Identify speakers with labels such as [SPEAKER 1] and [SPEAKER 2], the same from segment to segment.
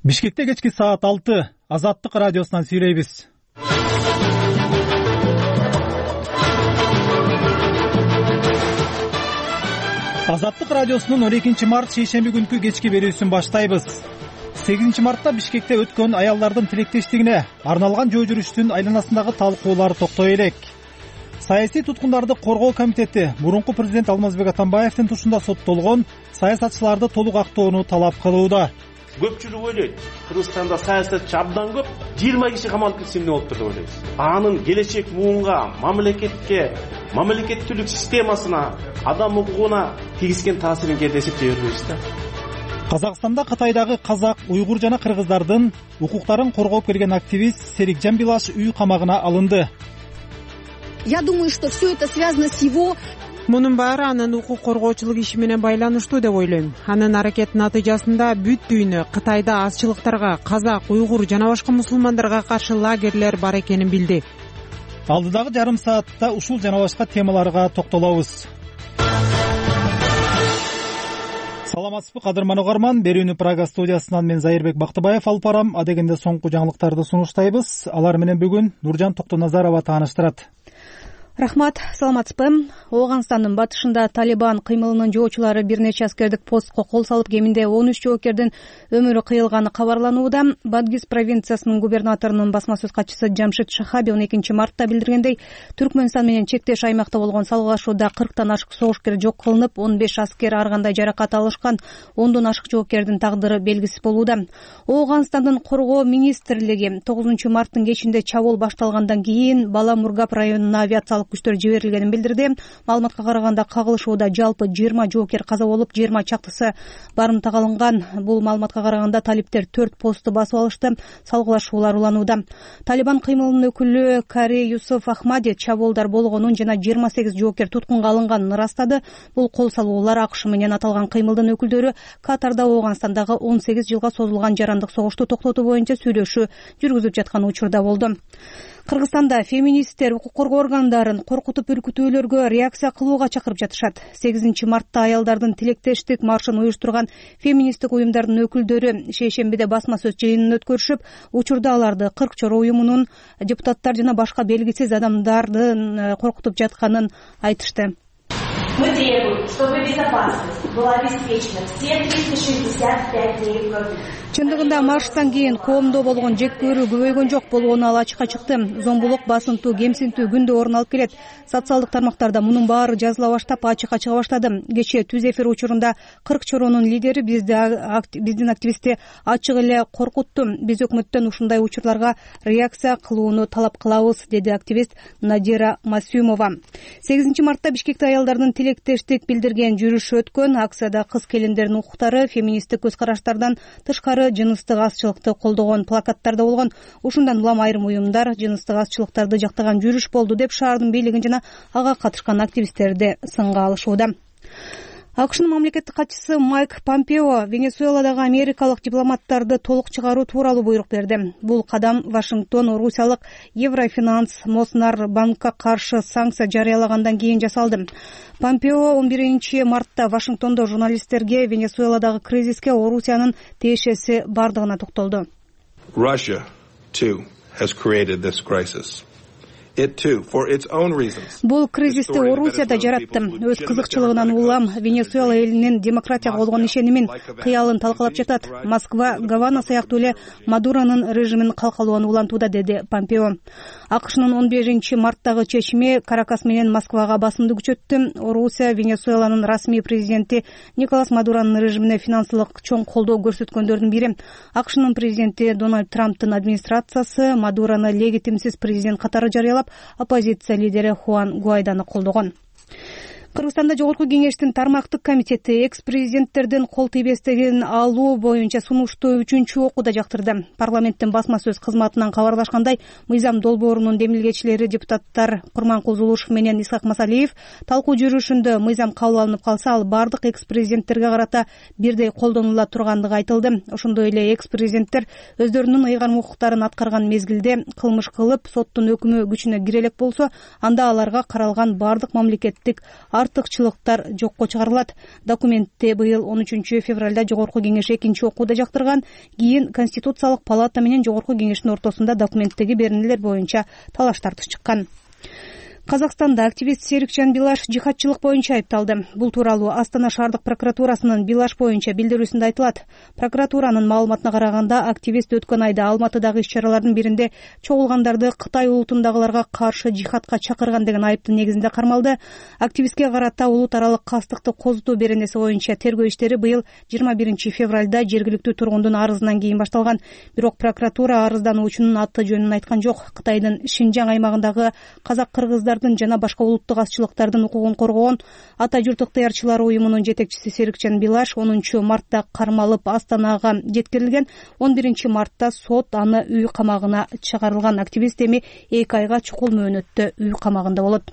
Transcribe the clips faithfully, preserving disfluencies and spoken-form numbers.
[SPEAKER 1] Бишкекте кечки саат алты Азаттык радиосунан сүйлөйбүз. Азаттык радиосунун он экинчи март шейшемби күнкү кечки берүүсүн баштайбыз. сегизинчи мартта Бишкекте өткөн аялдардын тилектештигине арналган жөө жүрүштүн айланасындагы талкуулар токтой элек. Саясий туткундарды коргоо комитети мурунку президент Алмазбек Атамбаевдин тушунда соттолгон саясатчыларды толук актоону талап кылууда.
[SPEAKER 2] Көпчүлүк ойлойт, Кыргызстанда саясатчы абдан көп, жыйырма киши камалып кетсе эмне болуптур деп ойлойбуз. Анын келечек буунга, мамлекетке, мамлекеттүүлүк системасына, адам укугуна тийгизген таасирин кээде эсептей бербейбиз да.
[SPEAKER 1] Казакстанда Кытайдагы казак, уйгур жана кыргыздардын укуктарын коргоп келген активист Серикжан Билаш үй камагына алынды.
[SPEAKER 3] Я думаю, что все это связано с его
[SPEAKER 4] Мунун баары анын укук коргоочулук иши менен байланыштуу деп ойлойм. Анын аракетинин натыйжасында бүт дүйнө Кытайда азчылыктарга, казак, уйгур жана башка мусулмандарга каршы лагерлер бар экенин билди.
[SPEAKER 1] Алдыдагы жарым саатта ушул жана башка темаларга токтолобуз. Саламатсызбы кадырман угарман, берүүнү Прага студиясынан мен Зайырбек Бактыбаев алып барам. Адегенде соңку жаңылыктарды сунуштайбыз. Алар менен бүгүн Нуржан Токтоназарова тааныштырат.
[SPEAKER 5] Рахмат, саламатсызбы. Ооганстандын батышында Талибан кыймылынын жоочулары бир нече аскердик постко кол салып, кеминде он үч жоокердин өмүрү кыйылганы кабарланууда. Бадгиз провинциясынын губернаторунун басма сөз катчысы Жамшид Шахаби он экинчи мартта билдиргендей, Түркмөнстан менен чектеш аймакта болгон салгылашууда кырктан ашык согушкер жок кылынып, он беш аскер ар кандай жаракат алышкан, ондон ашык жоокердин тагдыры белгисиз болууда. Ооганстандын коргоо министрлиги тогузунчу марттын кечинде чабуул башталгандан кийин Бала Мургап районуна авиациялык күчтөр жиберилгенин билдирди. Маалыматка караганда кагылышууда жалпы жыйырма жоокер каза болуп, жыйырма чактысы барымтага алынган. Бул маалыматка караганда талиптер төрт посту басып алышты. Салгылашуулар уланууда. Талибан кыймылынын өкүлү Кари Юсуф Ахмади чабуулдар болгонун жана жыйырма сегиз жоокер туткунга алынганын ырастады. Бул кол салуулар АКШ менен аталган кыймылдын өкүлдөрү Катарда Ооганстандагы он сегиз жылга созулган жарандык согушту токтотуу боюнча сүйлөшүү жүргүзүп жаткан учурда болду. Кыргызстанда феминисттер укук коргоо органдарын коркутуп үркүтүүлөргө реакция кылууга чакырып жатышат. сегизинчи мартта аялдардын тилектештик маршын уюштурган феминисттик уюмдардын өкүлдөрү шейшембиде басма сөз жыйынын өткөрүшүп, учурда аларды кырк чоро уюмунун депутаттар жана башка белгисиз адамдардын коркутуп жатканын айтышты.
[SPEAKER 6] Мы требуем, чтобы безопасность была обеспечена все триста шестьдесят пять дней в году.
[SPEAKER 5] Чындыгында марштан кийин коомдо болгон жек көрүү көбөйгөн жок болууну ал ачыкка чыкты. Зомбулук, басынтуу, кемсинтүү күндө орун алып келет. Социалдык тармактарда мунун баары жазыла баштап, ачыкка чыга баштады. Кечээ түз эфир учурунда кырк чоронун лидери бизди биздин активистти ачык эле коркутту. Биз өкмөттөн ушундай учурларга реакция кылууну талап кылабыз, деди активист Надира Масюмова. сегизинчи мартта Бишкекте аялдардын тилектештик билдирген жүрүш өткөн. Акцияда кыз келиндердин укуктары, феминисттик көз караштардан тышкары жыныстык азчылыкты колдогон плакаттарда болгон. Ушундан улам айрым уюмдар жыныстык азчылыктарды жактаган жүрүш болду деп шаардын бийлигин жана ага катышкан активисттерди сынга алышууда. АКШнын мамлекеттик катчысы Майк Помпео Венесуэладагы америкалык дипломаттарды толук чыгаруу тууралуу буйрук берди. Бул кадам Вашингтон Орусиялык Еврофинанс Моснар банкка каршы санкция жарыялагандан кийин жасалды. Помпео он биринчи мартта Вашингтондо журналисттерге Венесуэладагы кризиске Орусиянын тиешеси бардыгына токтолду.
[SPEAKER 7] Russia too has created this crisis. It too, for its own reasons.
[SPEAKER 5] Бул кризисти Орусия да жаратты. Өз кызыкчылыгынан улам Венесуэла элинин демократияга болгон ишенимин, кыялын талкалап жатат. Москва, Гавана сыяктуу эле Мадуронун режимин калкалоону улантууда, деди Помпео. АКШнын он бешинчи марттагы чечими Каракас менен Москвага басымды күчөттү. Орусия Венесуэланын расмий президенти Николас Мадуронун режимине финансылык чоң колдоо көрсөткөндөрдүн бири. АКШнын президенти Дональд Трамптын администрациясы Мадурону легитимсиз президент катары жарыялап, оппозиция лидери Хуан Гуайданы колдогон. Кыргызстанда Жогорку кеңештин тармактык комитети экс-президенттердин кол тийбестигин алуу боюнча сунушту үчүнчү окууда жактырды. Парламенттин басма сөз кызматынан кабарлашкандай, мыйзам долбоорунун демилгечилери депутаттар Курманкул Зулушев менен Исхак Масалиев талкуу жүрүшүндө мыйзам кабыл алынып калса, ал бардык экс-президенттерге карата бирдей колдонула тургандыгы айтылды. Ошондой эле экс-президенттер өздөрүнүн ыйгарым укуктарын аткарган мезгилде кылмыш кылып, соттун өкүмү күчүнө кире элек болсо, анда аларга каралган бардык мамлекеттик ар артыкчылыктар жокко чыгарылат. Документти быйыл он үчүнчү февралда Жогорку Кеңеш экинчи окууда жактырган. Кийин Конституциялык палата менен Жогорку Кеңештин ортосунда документтеги беренелер боюнча талаш тартыш чыккан. Казакстанда активист Серикжан Билаш жихадчылык боюнча айыпталды. Бул тууралуу Астана шаардык прокуратурасынын Билаш боюнча билдирүүсүндө айтылат. Прокуратуранын маалыматына караганда, активист өткөн айда Алматыдагы иш-чаралардын биринде чогулгандарды Кытай улутундагыларга каршы жихадка чакырган деген айыптын негизинде кармалды. Активистке карата улут аралык кастыкты козутуу беренеси боюнча тергөө иштери быйыл жыйырма биринчи февралда жергиликтүү тургундун арызынан кийин башталган. Бирок прокуратура арыздануучунун аты жөнүн айткан жок. Кытайдын Шинжаң аймагындагы казак-кыргыздар жана башка улуттук азчылыктардын укугун коргогон Ата журт ыктыярчылары уюмунун жетекчиси Серикжан Билаш онунчу мартта кармалып Астанага жеткирилген. он биринчи мартта сот аны үй камагына чыгарылган. Активист эми эки айга чукул мөөнөттө үй камагында болот.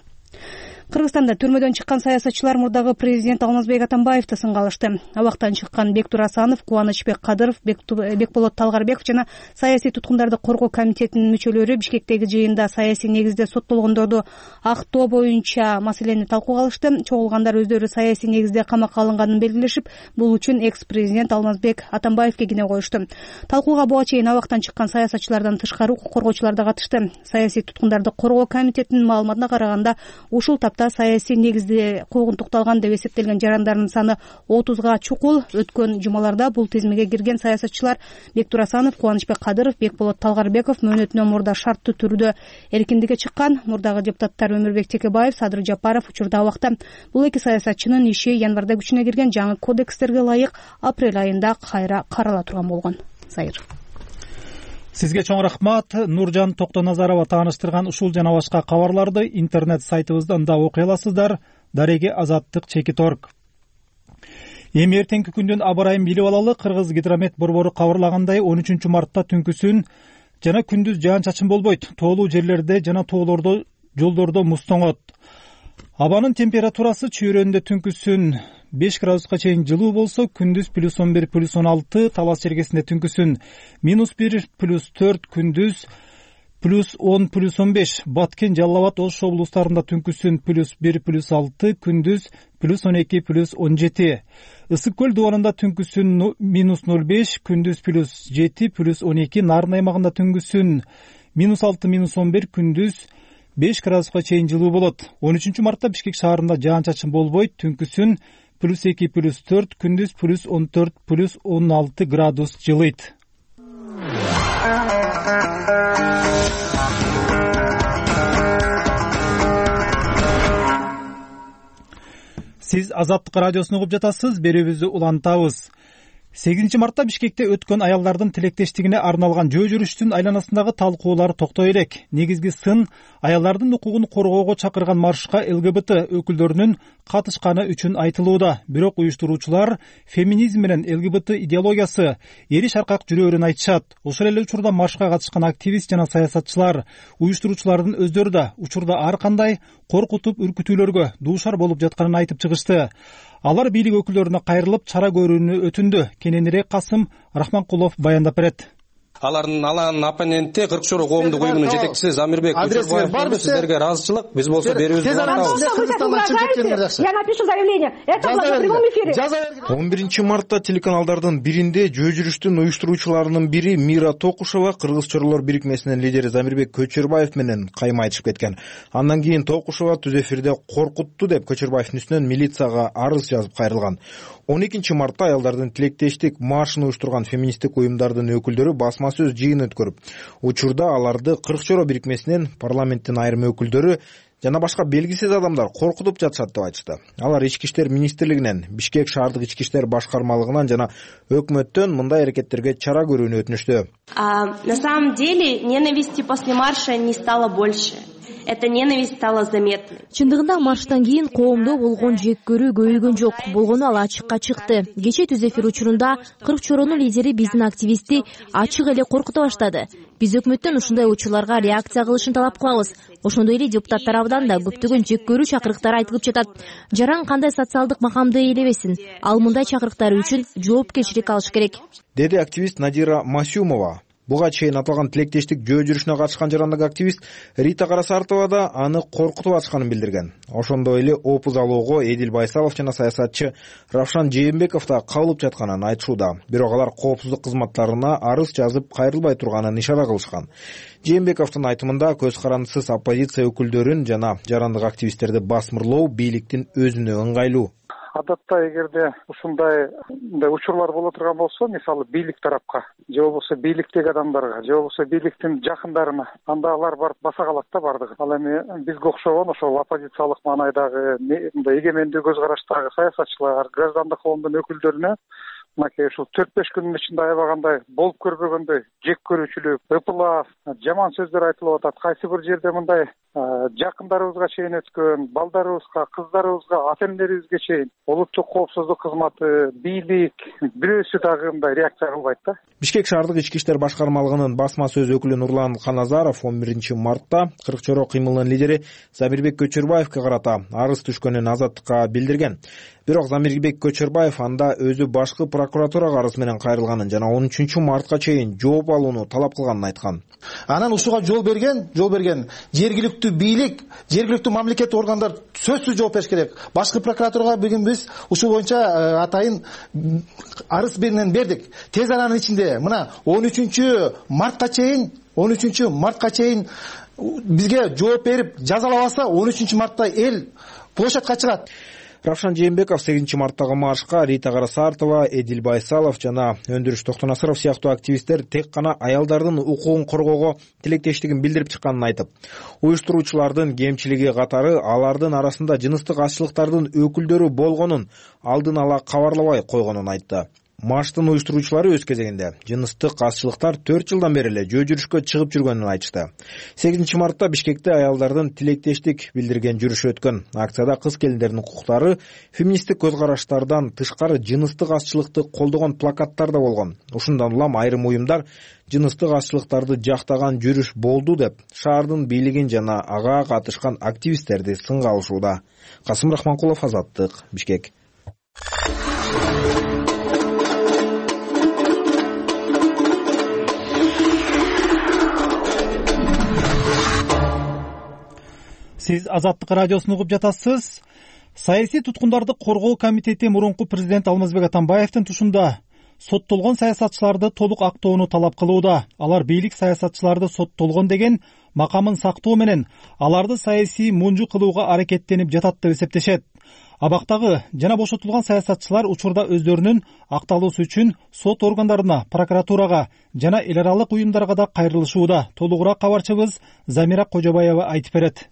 [SPEAKER 5] Кыргызстанда түрмөдөн чыккан саясатчылар мурдагы президент Алмазбек Атамбаевди сынга алышты. Абактан чыккан Бектур Асанов, Кубанычбек Кадыров, Бекболот Талгарбеков жана саясий туткундарды коргоо комитетинин мүчөлөрү Бишкектеги жыйында саясий негизде соттолгондорду актоо боюнча маселени талкууга алышты. Чогулгандар өздөрү саясий негизде камакка алынганын белгилешип, бул үчүн экс-президент Алмазбек Атамбаевге кине коюшту. Талкууга буга чейин абактан чыккан саясатчылардан тышкары укук коргоочулар да катышты. Саясий туткундарды коргоо комитетинин маалыматына караганда, ушул саясий негизде куугунтукталган деп эсептелген жарандардын саны отузга чукул. Өткөн жумаларда бул тизмеге кирген саясатчылар Бектур Асанов, Кубанычбек Кадыров, Бекболот Талгарбеков мөөнөтүнөн мурда шарттуу түрдө эркиндикке чыккан. Мурдагы депутаттар Өмүрбек Текебаев, Садыр Жапаров учурда абакта. Бул эки саясатчынын иши январда күчүнө кирген жаңы кодекстерге ылайык апрель айында кайра карала турган болгон. Сайыр.
[SPEAKER 1] Сизге чоң рахмат. Нуржан Токтоназарова тааныштырган ушул жана башка кабарларды интернет сайтыбыздан да окуй аласыздар. Дареги азаттык чекит точка орг. Эми эртеңки күндүн аба ырайын билип алалы. Кыргыз гидромет борбору кабарлагандай он үчүнчү мартта түнкүсүн жана күндүз жаан-чачын болбойт. Тоолуу жерлерде жана тоолордо жолдордо муз тоңот. Абанын температурасы чүйрөндө түнкүсүн беш градуска чейин жылуу болсо, күндүз плюс он бир плюс он алты, Талас чергесинде түнкүсүн минус бир плюс төрт, күндүз плюс он плюс он беш, Баткен, Жалал Абад, Ош облустарында түнкүсүн плюс бир плюс алты, күндүз плюс он эки плюс он жети. Ысык көл дубанында түнкүсүн минус ноль беш, күндүз плюс жети плюс он эки, Нарын аймагында түнкүсүн минус алты минус он бир, күндүз беш градуска чейин жылуу болот. он үчүнчү мартта Бишкек шаарында жаан-чачын болбойт, түнкүсүн плюс эки плюс төрт, күндүз плюс он төрт плюс он алты градус жылыйт. Сиз Азаттык радиосун угуп жатасыз, берүүбүздү улантабыз. сегизинчи мартта Бишкекте өткөн аялдардын тилектештигине арналган жөө жүрүштүн айланасындагы талкуулар токтой элек. Негизги сын аялдардын укугун коргоого чакырган маршка эл гэ бэ тэ өкүлдөрүнүн катышканы үчүн айтылууда. Бирок уюштуруучулар феминизм менен эл гэ бэ тэ идеологиясы эри шаркак жүрөөрүн айтышат. Ошол эле учурда маршка катышкан активист жана саясатчылар, уюштуруучулардын өздөрү да учурда ар кандай коркутуп үркүтүүлөргө дуушар болуп жатканын айтып чыгышты. Алар бийлик өкүлдөрүнө кайрылып чара көрүүнү өтүндү. Кененирээк Касым Рахманкулов баяндап берет.
[SPEAKER 8] Алардын алаанын оппоненти кырк чору коомдук уюмунун жетекчиси Замирбек Көчөрбаев сиздерге ыраазычылык, биз болсо берүүбүздү улантабыз.
[SPEAKER 9] Я напишу заявление. Это в прямом эфире.
[SPEAKER 10] он биринчи мартта телеканалдардын биринде жөө жүрүштүн уюштуруучуларынын бири Мира Токушева Кыргыз чорлор бирикмесинин лидери Замирбек Көчөрбаев менен кайма айтышып кеткен. Андан кийин Токушева түз эфирде коркутту деп Көчөрбаевдин үстүнөн милицияга арыз жазып кайрылган. он экинчи мартта аялдардын тилектештик маршын уюштурган феминисттик уюмдардын өкүлдөрү басма сөз жыйын өткөрүп, учурда аларды кырк чоро бирикмесинин, парламенттин айрым өкүлдөрү жана башка белгисиз адамдар коркутуп жатышат деп айтышты. Алар Ички иштер министрлигинен, Бишкек шаардык ички иштер башкармалыгынан жана өкмөттөн мындай аракеттерге чара көрүүнү өтүнүштү.
[SPEAKER 6] На самом деле ненависти после марша не стало больше. Эта ненависть стала заметной.
[SPEAKER 11] Чындыгында марштан кийин коомдо болгон жек көрүү көбөйгөн жок, болгону ал ачыкка чыкты. Кече түз эфир учурунда кырк чоронун лидери биздин активистти ачык эле коркута баштады. Биз өкмөттөн ушундай учурларга реакция кылышын талап кылабыз. Ошондой эле депутаттар абдан да көптөгөн жек көрүү чакырыктары айтылып жатат. Жаран кандай социалдык макамды ээлебесин, ал мындай чакырыктар үчүн жоопкерчилик алыш керек,
[SPEAKER 10] деди активист Надира Масюмова. Буга чейин аталган тилектештик жөө жүрүшүнө катышкан жарандык активист Рита Карасартова да аны коркутуп атканын билдирген. Ошондой эле опуз алууга Эдил Байсалов жана саясатчы Равшан Жээнбеков да кабылып жатканын айтышууда. Бирок алар коопсуздук кызматтарына арыз жазып кайрылбай турганын ишара кылышкан. Жээнбековдун айтымында көз карандысыз оппозиция өкүлдөрүн жана жарандык активисттерди басмырлоо бийликтин өзүнө ыңгайлуу.
[SPEAKER 12] Адатта эгерде ушундай учурлар боло турган болсо, мисалы бийлик тарапка же болбосо бийликтеги адамдарга же болбосо бийликтин жакындарына, анда алар барып баса калат да бардыгы. Ал эми бизге окшогон ошол оппозициялык маанайдагы мындай эгемендүү көз караштагы саясатчылар, граждандык коомдун өкүлдөрүнө мынакей ушул төрт беш күндүн ичинде аябагандай болуп көрбөгөндөй жек көрүүчүлүк, ыпылап, жаман сөздөр айтылып атат. Кайсы бир жерде мындай жакындарыбызга чейин өткөн, балдарыбызга, кыздарыбызга, ата-энелерибизге чейин улуттук коопсуздук кызматы, бийлик бирөөсү дагы мындай реакция кылбайт да.
[SPEAKER 10] Бишкек шаардык ички иштер башкармалыгынын басма сөз өкүлү Нурлан Каназаров он биринчи мартта кырк чороо кыймылынын лидери Замирбек Көчөрбаевге карата арыз түшкөнүн Азаттыкка билдирген. Бирок Замирбек Көчөрбаев анда өзү башкы прокуратурага арыз менен кайрылганын жана он үчүнчү мартка чейин жооп алууну талап кылганын айткан.
[SPEAKER 13] Анан ушуга жол берген, жол берген жергиликтүү бийлик, жергиликтүү мамлекеттик органдар сөзсүз жооп бериш керек. Башкы прокуратурага бүгүн биз ушул боюнча атайын арыз менен бердик. Тез аранын ичинде мына он үчүнчү мартка чейин, он үчүнчү мартка чейин бизге жооп берип жазалабаса, он үчүнчү мартта эл площадка чыгат.
[SPEAKER 10] Равшан Жээнбеков сегизинчи марттагы маршка Рита Карасартова, Эдил Байсалов жана Өндүрүш Токтонасыров сыяктуу активисттер тек гана аялдардын укугун коргоого тилектештигин билдирип чыкканын айтып, уюштуруучулардын кемчилиги катары алардын арасында жыныстык азчылыктардын өкүлдөрү болгонун алдын ала кабарлабай койгонун айтты. Марштын уюштуруучулары өз кезегинде жыныстык азчылыктар төрт жылдан бери эле жөө жүрүшкө чыгып жүргөнүн айтышты. сегизинчи мартта Бишкекте аялдардын тилектештик билдирген жүрүшү өткөн. Акцияда кыз келиндердин укуктары, феминисттик көз караштардан тышкары жыныстык азчылыкты колдогон плакаттар да болгон. Ушундан улам айрым уюмдар жыныстык азчылыктарды жактаган жүрүш болду деп шаардын бийлигин жана ага катышкан активисттерди сынга алышууда. Касым Рахманкулов, Азаттык, Бишкек.
[SPEAKER 1] Сиз Азаттык радиосун угуп жатасыз. Саясий туткундарды коргоо комитети мурунку президент Алмазбек Атамбаевдин тушунда соттолгон саясатчыларды толук актоону талап кылууда. Алар бийлик саясатчыларды соттолгон деген макамын сактоо менен аларды саясий мунжу кылууга аракеттенип жатат деп эсептешет. Абактагы жана бошотулган саясатчылар учурда өздөрүнүн акталуусу үчүн сот органдарына, прокуратурага жана эл аралык уюмдарга да кайрылышууда. Толугураак кабарчыбыз Замира Кожобаева айтып берет.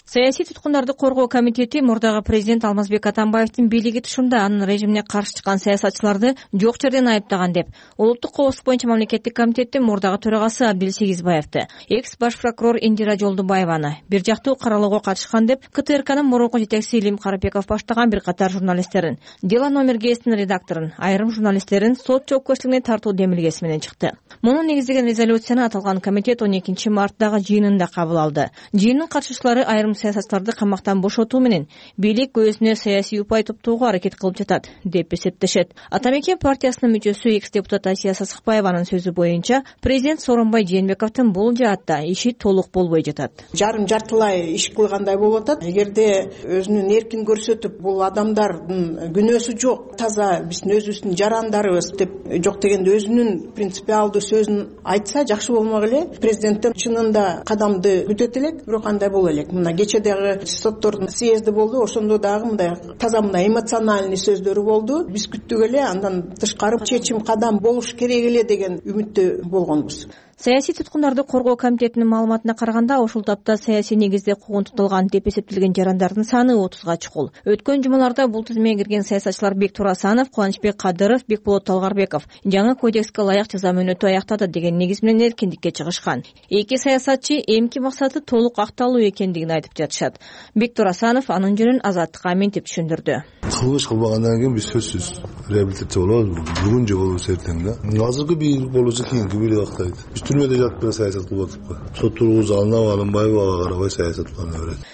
[SPEAKER 14] Саясий туткундарды коргоо комитети мурдагы президент Алмазбек Атамбаевдин бийлиги тушунда анын режимине каршы чыккан саясатчыларды жок жерден айыптаган деп улуттук коопсуздук боюнча мамлекеттик комитеттин мурдагы төрагасы Абдил Сегизбаевди, экс баш прокурор Индира Жолдубаеваны бир жактуу каралууга катышкан деп КТРКнын мурунку жетекчиси Илим Карапеков баштаган бир катар журналисттерин, Дело номер гезитинин редакторун, айрым журналисттерин сот жоопкерчилигине тартуу демилгеси менен чыкты. Муну негиздеген резолюцияны аталган комитет он экинчи марттагы жыйынында кабыл алды. Жыйындын катышуучулары айрым саясатчыларды камактан бошотуу менен бийлик өзүнө саясий упай топтоого аракет кылып жатат деп эсептешет. Атамекен партиясынын мүчөсү экс депутат Асия Сасыкбаеванын сөзү боюнча президент Сооронбай Жээнбековдун бул жаатта иши толук болбой жатат.
[SPEAKER 15] Жарым жартылай иш кылгандай болуп атат. Эгерде өзүнүн эркин көрсөтүп, бул адамдардын күнөөсү жок, таза биздин өзүбүздүн жарандарыбыз деп жок дегенде өзүнүн принципиалдуу сөзүн айтса жакшы болмок эле. Президенттен чынында кадамды күтөт элек, бирок кандай боло элек? Мына кечедеги соттордун съезди болду, ошондо дагы мындай таза мындай эмоциональный сөздөрү болду. Биз күттүк эле, андан тышкары чечим кадам болуш керек эле деген үмүттө болгонбуз.
[SPEAKER 14] Саясий туткундарды коргоо комитетинин маалыматына караганда, ушул тапта саясий негизде куугунтукталган деп эсептелген жарандардын саны отузга чукул. Өткөн жумаларда бул тизмеге кирген саясатчылар Бектур Асанов, Кубанычбек Кадыров, Бекболот Талгарбеков жаңы кодекске ылайык жаза мөөнөтү аяктады деген негиз менен эркиндикке чыгышкан. Эки саясатчы эмки максаты толук акталуу экендигин айтып жатышат. Бектур Асанов анын жөнүн Азаттыкка ментип түшүндүрдү.
[SPEAKER 16] Кылмыш кылбагандан кийин биз сөзсүз реабилитация болобуз. Бүгүн же болобуз эртең да. Азыркы бийлик болуусу кийинки бийлик актайт. Биз түрмөдө жатып саясат кылып атпайбы? Сот тургузуп алынабы, алынбайбы, ага карабай саясат кылына берет.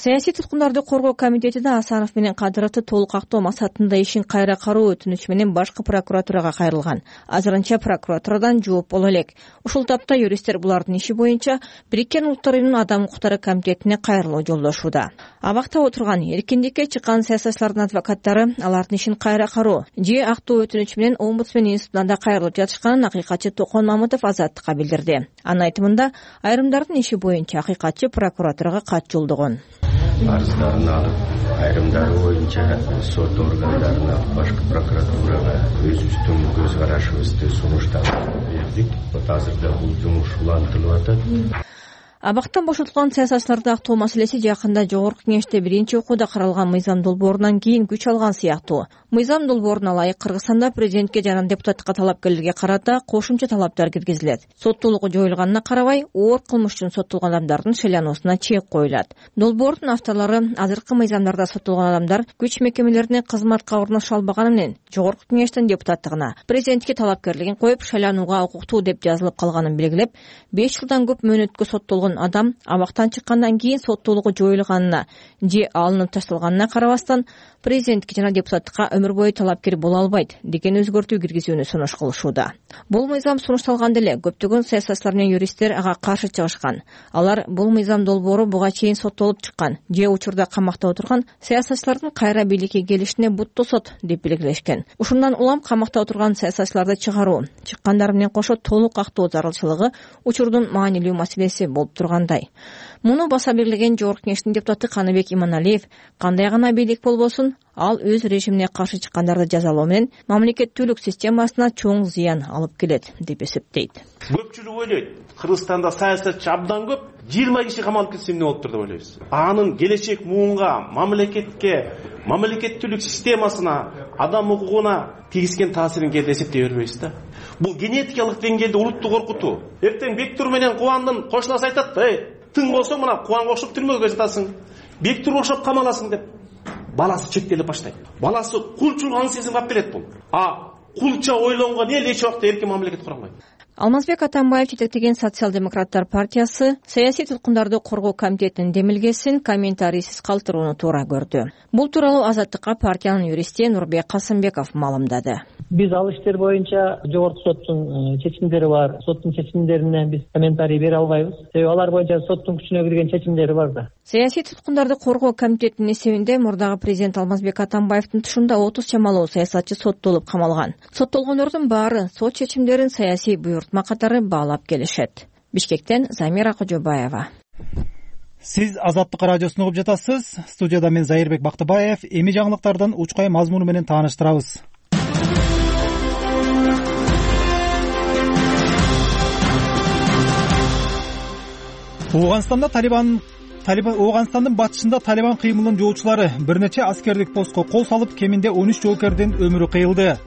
[SPEAKER 14] саясий туткундарды коргоо комитети да Асанов менен Кадыровду толук актоо максатында ишин кайра кароо өтүнүчү менен башкы прокуратурага кайрылган. Азырынча прокуратурадан жооп боло элек. Ушул тапта юристтер булардын иши боюнча Бириккен Улуттар Уюмунун Адам укуктары комитетине кайрылуу жолдошууда. Абакта отурган эркиндикке чыккан саясатчылардын адвокаттары алардын ишин кайра кароо же актоо өтүнүчү менен омбудсмен институтуна да кайрылып жатышканын акыйкатчы Токон Мамытов Азаттыкка билдирди. Анын айтымында айрымдардын иши боюнча акыйкатчы прокуратурага кат жолдогон.
[SPEAKER 17] Арыздарын алып, айрымдары боюнча сот органдарына, башкы прокуратурага өзүбүздүн көз карашыбызды сунуштап бердик. Вот азырда бул жумуш улантылып атат.
[SPEAKER 14] Абактан бошотулган саясатчыларды актоо маселеси жакында Жогорку Кеңеште биринчи окууда каралган мыйзам долбоорунан кийин күч алган сыяктуу. Мыйзам долбооруна ылайык Кыргызстанда президентке жана депутаттыкка талапкерлерге карата кошумча талаптар киргизилет. Соттуулугу жоюлганына карабай, оор кылмыш үчүн соттолгон адамдардын шайлануусуна чек коюлат. Долбоордун авторлору азыркы мыйзамдарда соттолгон адамдар күч мекемелерине кызматка орношо албаганы менен Жогорку Кеңештин депутаттыгына, президентке талапкерлигин коюп шайланууга укуктуу деп жазылып калганын белгилеп, беш жылдан көп мөөнөткө соттолгон адам абактан чыккандан кийин соттуулугу жоюлганына же алынып ташталганына карабастан президентке жана депутаттыкка өмүр бою талапкер боло албайт деген өзгөртүү киргизүүнү сунуш кылышууда. Бул мыйзам сунушталганда эле көптөгөн саясатчылар менен юристтер ага каршы чыгышкан. Алар бул мыйзам долбоору буга чейин соттолуп чыккан же учурда камакта отурган саясатчылардын кайра бийликке келишине бут тосот деп белгилешкен. Ушундан улам камакта отурган саясатчыларды чыгаруу, чыккандар менен кошо толук актоо зарылчылыгы учурдун маанилүү маселеси болуп тургандай. Муну баса белгилеген Жогорку Кеңештин депутаты Каныбек Иманалиев кандай гана бийлик болбосун, ал өз режимине каршы чыккандарды жазалоо менен мамлекеттүүлүк системасына чоң зыян алып келет деп эсептейт.
[SPEAKER 2] Көпчүлүк ойлойт, Кыргызстанда саясатчы абдан көп, жыйырма киши камалып кетсе эмне болуп тур деп ойлойбуз. Анын келечек муунга, мамлекетке, мамлекеттүүлүк системасына, адам укугуна тийгизген таасирин кээде эсептей бербейбиз да. Бул генетикалык деңгээлде улутту коркутуу. Эртең Бектур менен Кубандын кошунасы айтат да, тың болсо мына Кубанга окшоп түрмөгө жатасың, Бектур окшоп камаласың деп. Баласы чектелип баштайт. Баласы кулчулугун сезим кап келет бул. А кулча ойлонгон эл эч убакта эркин мамлекет кура албайт.
[SPEAKER 14] Алмазбек Атамбаев жетектеген социал-демократтар партиясы саясий туткундарды коргоо комитетинин демилгесин комментарийсиз калтырууну туура көрдү. Бул тууралуу Азаттыкка партиянын юристи Нурбек Касымбеков маалымдады.
[SPEAKER 18] Биз ал иштер боюнча жогорку соттун чечимдери бар. Соттун чечимдерине биз комментарий бере албайбыз. Себеби алар боюнча соттун күчүнө кирген чечимдери бар да.
[SPEAKER 14] Саясий туткундарды коргоо комитетинин эсебинде мурдагы президент Алмазбек Атамбаевдин тушунда отуз чамалуу саясатчы соттолуп камалган. Соттолгондордун баары сот чечимдерин саясий буйртма катары баалап келишет. Бишкектен Замира Кожобаева.
[SPEAKER 1] Сиз Азаттык радиосун угуп жатасыз. Студияда мен Зайырбек Бактыбаев. Эми жаңылыктардын учкай мазмуну менен тааныштырабыз. Ооганстанда Талибан Талибан Ооганстандын батышында Талибан кыймылынын жоочулары бир нече аскердик постко кол салып, кеминде он үч жоокердин өмүрү кыйылды.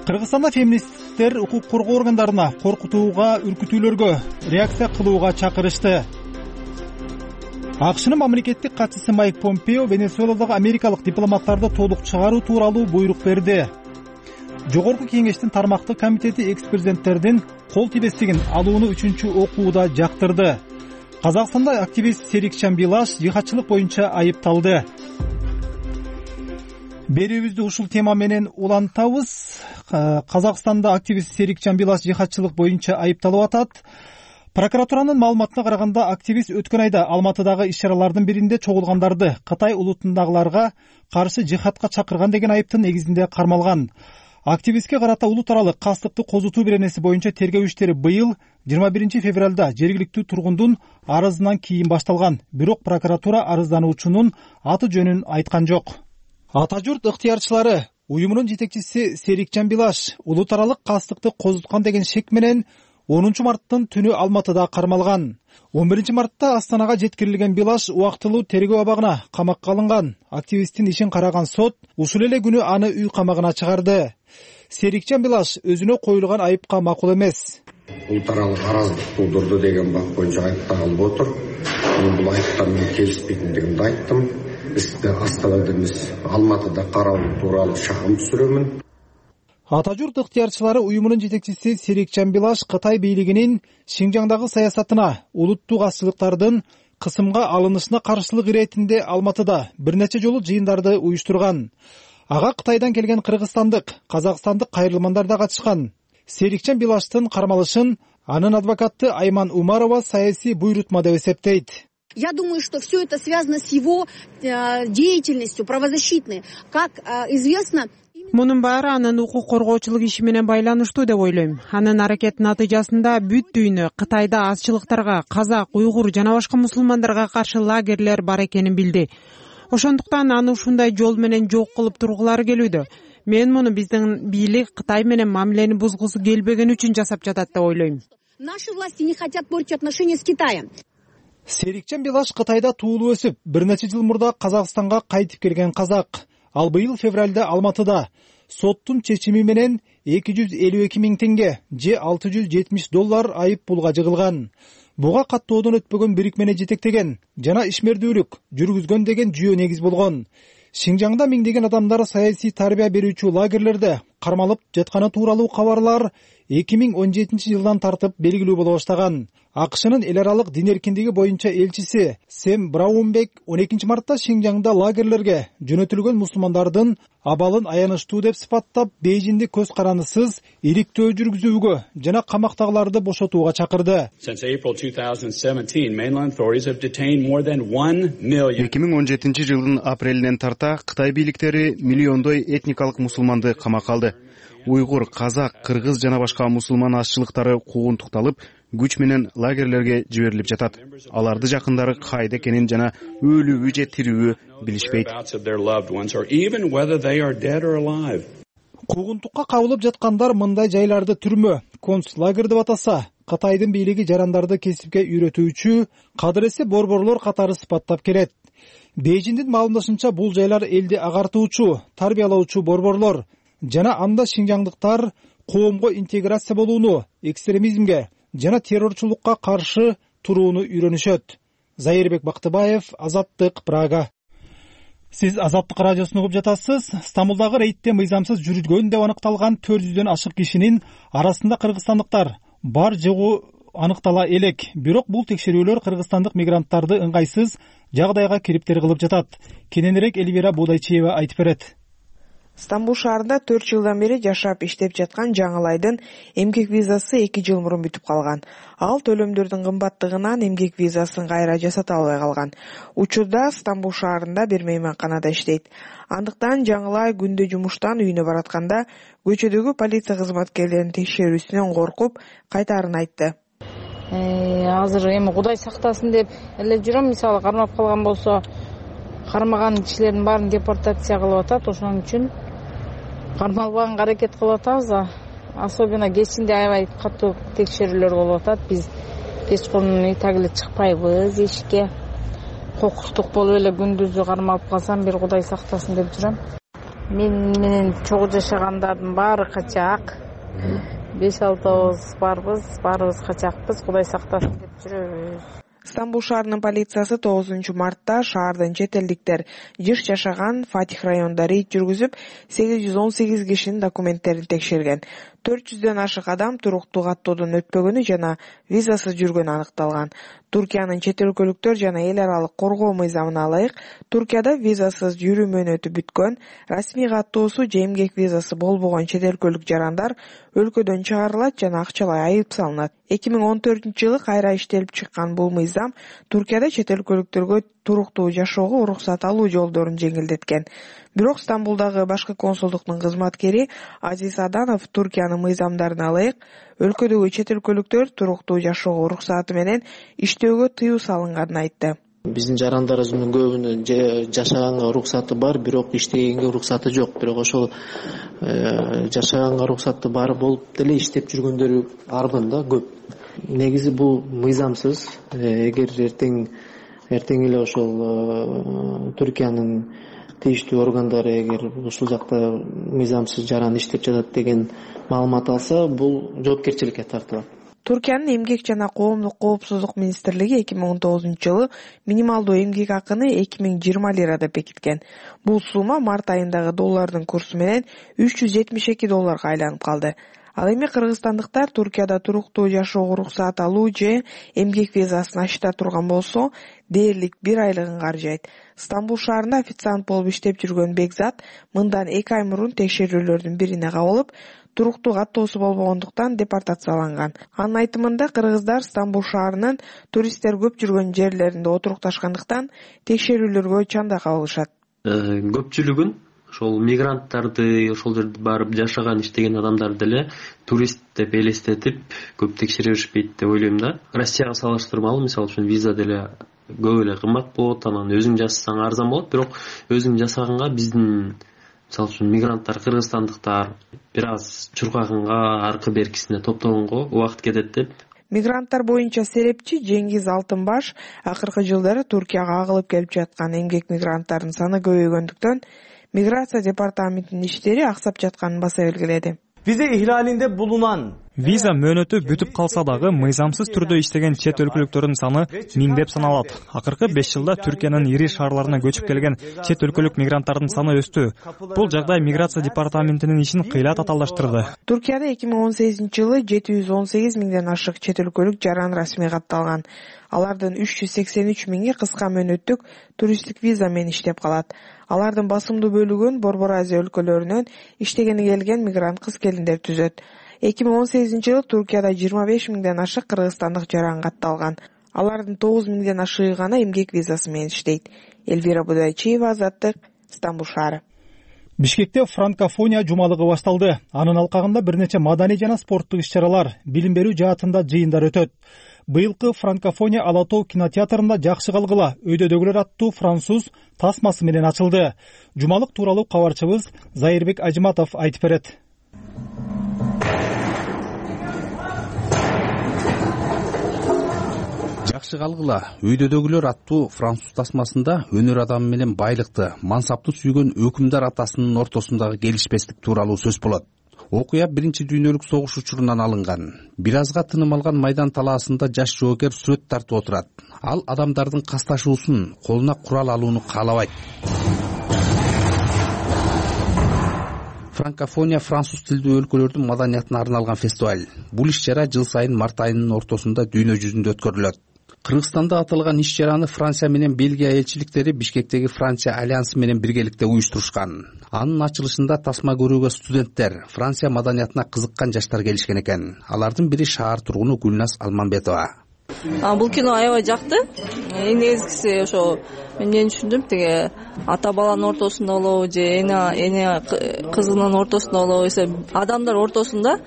[SPEAKER 1] Кыргызстанда феминисттер укук коргоо органдарына коркутууга, үркүтүүлөргө реакция кылууга чакырышты. АКШнын мамлекеттик катчысы Майк Помпео Венесуэладагы америкалык дипломаттарды толук чыгаруу тууралуу буйрук берди. Жогорку Кеңештин тармактык комитети экс-президенттердин кол тибестигин алууну үчүнчү окууда жактырды. Казакстанда активист Серикчан Билаш жихадчылык боюнча айыпталды. Берүүбүздү ушул тема менен улантабыз. Казакстанда активист Серикчан Билаш жихадчылык боюнча айыпталып атат. Прокуратуранын маалыматына караганда, активист өткөн айда Алматыдагы иш-чаралардын биринде чогулгандарды Кытай улутундагыларга каршы жихадка чакырган деген айыптын негизинде кармалган. Активистке карата улут аралык кастыкты козутуу беренеси боюнча тергөө иштери быйыл жыйырма биринчи февралда жергиликтүү тургундун арызынан кийин башталган. Бирок прокуратура арыздануучунун аты жөнүн айткан жок. Ата журт ыктыярчылары уюмунун жетекчиси Серикчан Билаш улут аралык кастыкты козуткан деген шек менен онунчу марттын түнү Алматыда кармалган. он биринчи мартта Астанага жеткирилген Билаш убактылуу тергөө абагына камакка алынган. Активисттин ишин караган сот ушул эле күнү аны үй камагына чыгарды. Серикчан Билаш өзүнө коюлган айыпка макул эмес.
[SPEAKER 19] Улут аралык араздык туудурду деген бап боюнча айыпталып отур. Мен бул айыптар менен келишпейтиндигимди айттым. Биз Астанада эмес, Алматыда каралуу тууралуу шагым түшүрөмүн.
[SPEAKER 1] Ата журт ыктыярчылары уюмунун жетекчиси Серикчан Билаш Кытай бийлигинин Шинжаңдагы саясатына улуттук азчылыктардын кысымга алынышына каршылык иретинде Алматыда бир нече жолу жыйындарды уюштурган. Ага Кытайдан келген кыргызстандык, казакстандык кайрылмандар да катышкан. Серикчен Билаштын кармалышын анын адвокаты Айман Умарова саясий буйрутма деп эсептейт.
[SPEAKER 3] Я думаю, что все это связано с его э, деятельностью правозащитной. Как э, известно...
[SPEAKER 4] Мунун баары анын укук коргоочулук иши менен байланыштуу деп ойлойм. Анын аракетинин натыйжасында бүт дүйнө Кытайда азчылыктарга, казак, уйгур жана башка мусулмандарга каршы лагерлер бар экенин билди. Ошондуктан аны ушундай жол менен жок кылып тургулары келүүдө. Мен муну биздин бийлик Кытай менен мамилени бузгусу келбеген үчүн жасап жатат деп ойлойм.
[SPEAKER 3] Наши власти не хотят портить отношения с Китаем.
[SPEAKER 1] Серикчен Билаш Кытайда туулуп өсүп, бир нече жыл мурда Казакстанга кайтып келген казак. Ал быйыл февралда Алматыда соттун чечими менен эки жүз элүү эки миң теңге же алты жүз жетимиш доллар айып пулга жыгылган. Буга каттоодон өтпөгөн бирикмени жетектеген жана ишмердүүлүк жүргүзгөн деген жүйө негиз болгон. Шинжаңда миңдеген адамдар саясий тарбия берүүчү лагерлерде кармалып жатканы тууралуу кабарлар эки миң он жетинчи жылдан тартып белгилүү боло баштаган. АКШнын эл аралык дин эркиндиги боюнча элчиси Сэм Браунбек он экинчи мартта Шинжаңда лагерлерге жөнөтүлгөн мусулмандардын абалын аянычтуу деп сыпаттап, Бейжиңди көз карандысыз иликтөө жүргүзүүгө жана камактагыларды бошотууга чакырды.
[SPEAKER 20] эки миң он жетинчи жылдын апрелинен тарта Кытай бийликтери миллиондой этникалык мусулманды камакка алды. Уйгур, казак, кыргыз жана башка мусулман азчылыктары куугунтукталып, күч менен лагерлерге жиберилип жатат. Аларды жакындары кайда экенин жана өлүүбү же тирүүбү билишпейт.
[SPEAKER 1] Куугунтукка кабылып жаткандар мындай жайларды түрмө, концлагер деп атаса, Кытайдын бийлиги жарандарды кесипке үйрөтүүчү кадыресе борборлор катары сыпаттап келет. Бейжиңдин маалымдашынча бул жайлар элди агартуучу, тарбиялоочу борборлор жана анда шинжаңдыктар коомго интеграция болууну, экстремизмге жана террорчулукка каршы турууну үйрөнүшөт. Зайырбек Бактыбаев, Азаттык, Прага. Сиз Азаттык радиосун угуп жатасыз. Стамбулдагы рейдте мыйзамсыз жүргөн деп аныкталган төрт жүздөн ашык кишинин арасында кыргызстандыктар бар жогу аныктала элек. Бирок бул текшерүүлөр кыргызстандык мигранттарды ыңгайсыз жагдайга кириптер кылып жатат. Кененирээк Элвира Бодайчиева айтып берет.
[SPEAKER 21] Стамбул шаарында төрт жылдан бери жашап иштеп жаткан Жаңылайдын эмгек визасы эки жыл мурун бүтүп калган. Ал төлөмдөрдүн кымбаттыгынан эмгек визасын кайра жасата албай калган. Учурда Стамбул шаарында бир мейманканада иштейт. Андыктан Жаңылай күндө жумуштан үйүнө баратканда көчөдөгү полиция кызматкерлеринин текшерүүсүнөн коркуп кайтаарын айтты.
[SPEAKER 22] Азыр эми Кудай сактасын деп эле жүрөм, мисалы кармап калган болсо, кармаган кишилердин баарын депортация кылып атат, ошон үчүн кармалбаганга аракет кылып атабыз. Особенно кечинде аябай катуу текшерүүлөр болуп атат. Биз кечкурун үй тагы эле чыкпайбыз эшикке. Кокустук болуп эле күндүзү кармалып калсам, бир Кудай сактасын деп жүрөм. Мен менен чогуу жашагандардын баары качак. беш алтыбыз барбыз, баарыбыз качакпыз. Кудай сактасын деп жүрөбүз.
[SPEAKER 21] Стамбул шаарынын полициясы тогузунчу мартта шаардын чет элдиктер жыш жашаган Фатих районунда рейд жүргүзүп, сегиз жүз он сегиз кишинин документтерин текшерген. төрт жүздөн ашык адам туруктуу каттоодон өтпөгөнү жана визасыз жүргөнү аныкталган. Туркиянын чет өлкөлүктөр жана эл аралык коргоо мыйзамына ылайык, Туркияда визасыз жүрүү мөөнөтү бүткөн, расмий каттоосу же эмгек визасы болбогон чет өлкөлүк жарандар өлкөдөн чыгарылат жана акчалай айып салынат. эки миң он төртүнчү жылы кайра иштелип чыккан бул мыйзам Туркияда чет өлкөлүктөргө туруктуу жашоого уруксат алуу жолдорун жеңилдеткен. Бирок Стамбулдагы башкы консулдуктун кызматкери Азиз Аданов Туркиянын мыйзамдарына ылайык өлкөдөгү чет өлкөлүктөр туруктуу жашоого уруксаты менен иштөөгө тыюу салынганын айтты.
[SPEAKER 23] Биздин жарандарыбыздын көбүнүн жашаганга уруксаты бар, бирок иштегенге уруксаты жок. Бирок ошол жашаганга уруксаты бар болуп деле иштеп жүргөндөрү арбын да көп. Негизи бул мыйзамсыз. Эгер эртең эртең эле ошол Туркиянын тийиштүү органдары эгер ушул жакта мыйзамсыз жаран иштеп жатат деген маалымат алса, бул жоопкерчиликке тартылат.
[SPEAKER 21] Туркиянын эмгек жана коомдук коопсуздук министрлиги эки миң он тогузунчу жылы минималдуу эмгек акыны эки миң жыйырма лира деп бекиткен. Бул сумма март айындагы доллардын курсу менен үч жүз жетимиш эки долларга айланып калды. Ал эми кыргызстандыктар Туркияда туруктуу жашоого уруксаат алуу же эмгек визасын ачта турган болсо, дээрлик бир айлыгын каржайт. Стамбул шаарында официант болуп иштеп жүргөн Бекзат мындан эки ай мурун текшерүүлөрдүн бирине кабылып, туруктуу каттоосу болбогондуктан депортацияланган. Анын айтымында кыргыздар Стамбул шаарынын туристтер көп жүргөн жерлеринде отурукташкандыктан текшерүүлөргө чанда кабылышат.
[SPEAKER 5] Көпчүлүгүн ошол мигранттарды, ошол жерде барып жашаган, иштеген адамдарды эле турист деп элестетип көп текшере беришпейт деп ойлойм да. Россияга салыштырмалуу, мисалы үчүн виза деле көп эле кымбат болот, анан өзүң жасасаң арзан болот, бирок өзүң жасаганга биздин мисалы үчүн мигранттар, кыргызстандыктар бир аз чуркаганга, аркы беркисине топтогонго убакыт кетет деп.
[SPEAKER 21] Мигранттар боюнча серепчи Жеңиз Алтынбаш акыркы жылдары Туркияга агылып келип жаткан эмгек мигранттардын саны көбөйгөндүктөн миграция департаментинин иштери аксап жатканын баса белгиледи.
[SPEAKER 7] Vize ihlalinde bulunan
[SPEAKER 8] Виза мөөнөтү бүтүп калса дагы мыйзамсыз түрдө иштеген чет өлкөлүктөрдүн саны миңдеп саналат. Акыркы беш жылда Түркиянын ири шаарларына көчүп келген чет өлкөлүк мигранттардын саны өстү. Бул жагдай миграция департаментинин ишин кыйла татаалдаштырды.
[SPEAKER 21] Туркияда эки миң он сегизинчи жылы жети жүз он сегиз миңден ашык чет өлкөлүк жаран расмий катталган. Алардын үч жүз сексен үч миңи кыска мөөнөттүк туристтик виза менен иштеп калат. Алардын басымдуу бөлүгүн Борбор Азия өлкөлөрүнөн иштегени келген мигрант кыз-келиндер түзөт. эки миң он сегизинчи жылы Туркияда жыйырма беш миңден ашык кыргызстандык жаран катталган. Алардын тогуз миңден ашыгы гана эмгек визасы менен иштейт. Эльвира Будайчиева, Азаттык, Стамбул шаары.
[SPEAKER 1] Бишкекте франкофония жумалыгы башталды. Анын алкагында бир нече маданий жана спорттук иш-чаралар, билим берүү жаатында жыйындар өтөт. Быйылкы франкофония Ала Тоо кинотеатрында жакшы калгыла өйдөдөгүлөр аттуу француз тасмасы менен ачылды. Жумалык тууралуу кабарчыбыз Зайырбек Ажматов айтып берет.
[SPEAKER 24] Жакшы калгыла өйдөдөгүлөр аттуу француз тасмасында өнөр адамы менен байлыкты, мансапты сүйгөн өкүмдар атасынын ортосундагы келишпестик тууралуу сөз болот. Окуя биринчи дүйнөлүк согуш учурунан алынган. Бир азга тыным алган майдан талаасында жаш жоокер сүрөт тартып отурат. Ал адамдардын касташуусун, колуна курал алууну каалабайт. Франкофония француз тилдүү өлкөлөрдүн маданиятына арналган фестиваль. Бул иш-чара жыл сайын март айынын ортосунда дүйнө жүзүндө өткөрүлөт. Кыргызстанда аталган иш-чараны Франция менен Бельгия элчиликтери Бишкектеги Франция альянсы менен биргеликте уюштурушкан. Анын ачылышында тасма көрүүгө студенттер, Франция маданиятына кызыккан жаштар келишкен экен. Алардын бири шаар тургуну Гүлназ Алманбетова.
[SPEAKER 25] Бул кино аябай жакты. Эң негизгиси ошо мен эмне түшүндүм, тиги ата баланын ортосунда болобу же эне эне кызынын ортосунда болобу, адамдар ортосунда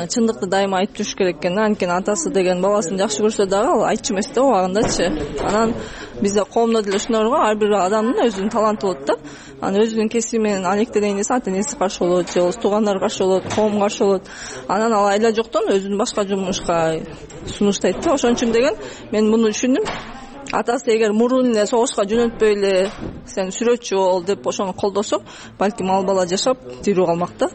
[SPEAKER 25] чындыкты дайыма айтып жүрүш керек экен. Анткени атасы деген баласын жакшы көрсө дагы ал айтчу эмес да убагындачы. Анан бизде коомдо деле ушундай бар го, ар бир адамдын өзүнүн таланты болот да. Анан өзүнүн кесиби менен алектенейин десе ата энеси каршы болот, же туугандары каршы болот, коом каршы болот. Анан ал айла жоктон өзүн башка жумушка сунуштайт да. Ошон үчүн деген мен муну түшүндүм. Атасы эгер мурун эле согушка жөнөтпөй эле сен сүрөтчү бол деп ошону колдосо, балким ал бала жашап тирүү калмак да.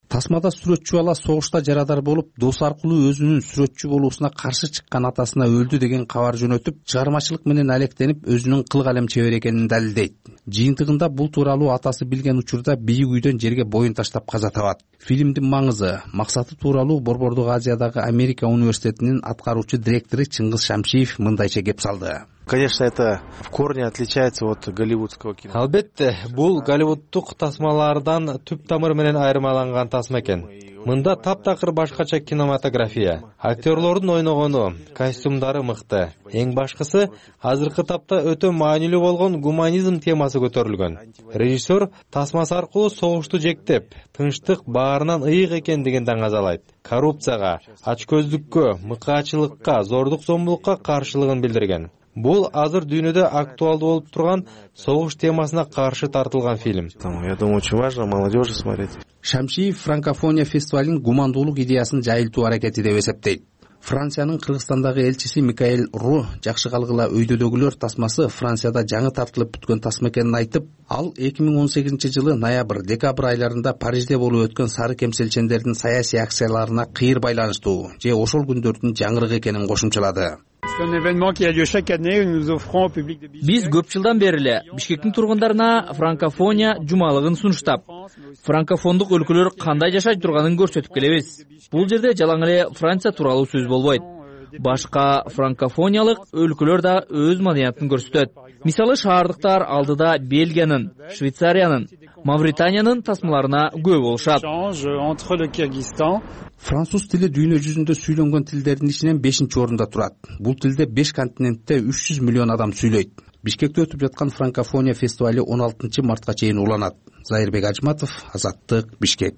[SPEAKER 24] Тасмада сүрөтчү бала согушта жарадар болуп, дос аркылуу өзүнүн сүрөтчү болуусуна каршы чыккан атасына өлдү деген кабар жөнөтүп, чыгармачылык менен алектенип, өзүнүн кыл калем чебер экенин далилдейт. Жыйынтыгында бул тууралуу атасы билген учурда бийик үйдөн жерге боюн таштап каза табат. Фильмдин маңызы, максаты тууралуу Борбордук Азиядагы Америка университетинин аткаруучу директору Чыңгыз Шамшиев мындайча кеп салды.
[SPEAKER 26] Конечно, это в корне отличается от голливудского кино.
[SPEAKER 27] Албетте, бул голливуддук тасмалардан түп тамыр менен айырмаланган тасма экен. Мында таптакыр башкача кинематография. Актерлордун ойногону, костюмдары мыкты. Эң башкысы, азыркы тапта өтө маанилүү болгон гуманизм темасы көтөрүлгөн. Режиссер тасмасы аркылуу согушту жектеп, тынчтык баарынан ыйык экендигин даңазалайт. Коррупцияга, ачкөздүккө, мыкаачылыкка, зордук зомбулукка каршылыгын билдирген. Бул азыр дүйнөдө актуалдуу болуп турган согуш темасына каршы тартылган фильм.
[SPEAKER 26] Я думаю, очень важно молодежи смотреть.
[SPEAKER 24] Шамшиев франкофония фестивалынын гумандуулук идеясын жайылтуу аракети деп эсептейт. Франциянын Кыргызстандагы элчиси Микаэль Ру жакшы калгыла өйдөдөгүлөр тасмасы Францияда жаңы тартылып бүткөн тасма экенин айтып, ал эки миң он сегизинчи жылы ноябрь, декабрь айларында Парижде болуп өткөн сары кемселчендердин саясий акцияларына кыйыр байланыштуу же ошол күндөрдүн жаңырыгы экенин кошумчалады.
[SPEAKER 28] Биз көп жылдан бери эле Бишкектин тургундарына франкофония жумалыгын сунуштап,
[SPEAKER 6] франкофондук өлкөлөр кандай жашай турганын көрсөтүп келебиз. Бул жерде жалаң эле Франция тууралуу сөз болбойт. Башка франкофониялык өлкөлөр да өз маданиятын көрсөтөт. Мисалы шаардыктар алдыда Бельгиянын, Швейцариянын, Мавританиянын тасмаларына күбө болушат.
[SPEAKER 24] Француз тили дүйнө жүзүндө сүйлөнгөн тилдердин ичинен бешинчи орунда турат. Бул тилде беш континентте үч жүз миллион адам сүйлөйт. Бишкекте өтүп жаткан франкофония фестивали он алтынчы мартка чейин уланат. Зайырбек Ажматов, Азаттык, Бишкек.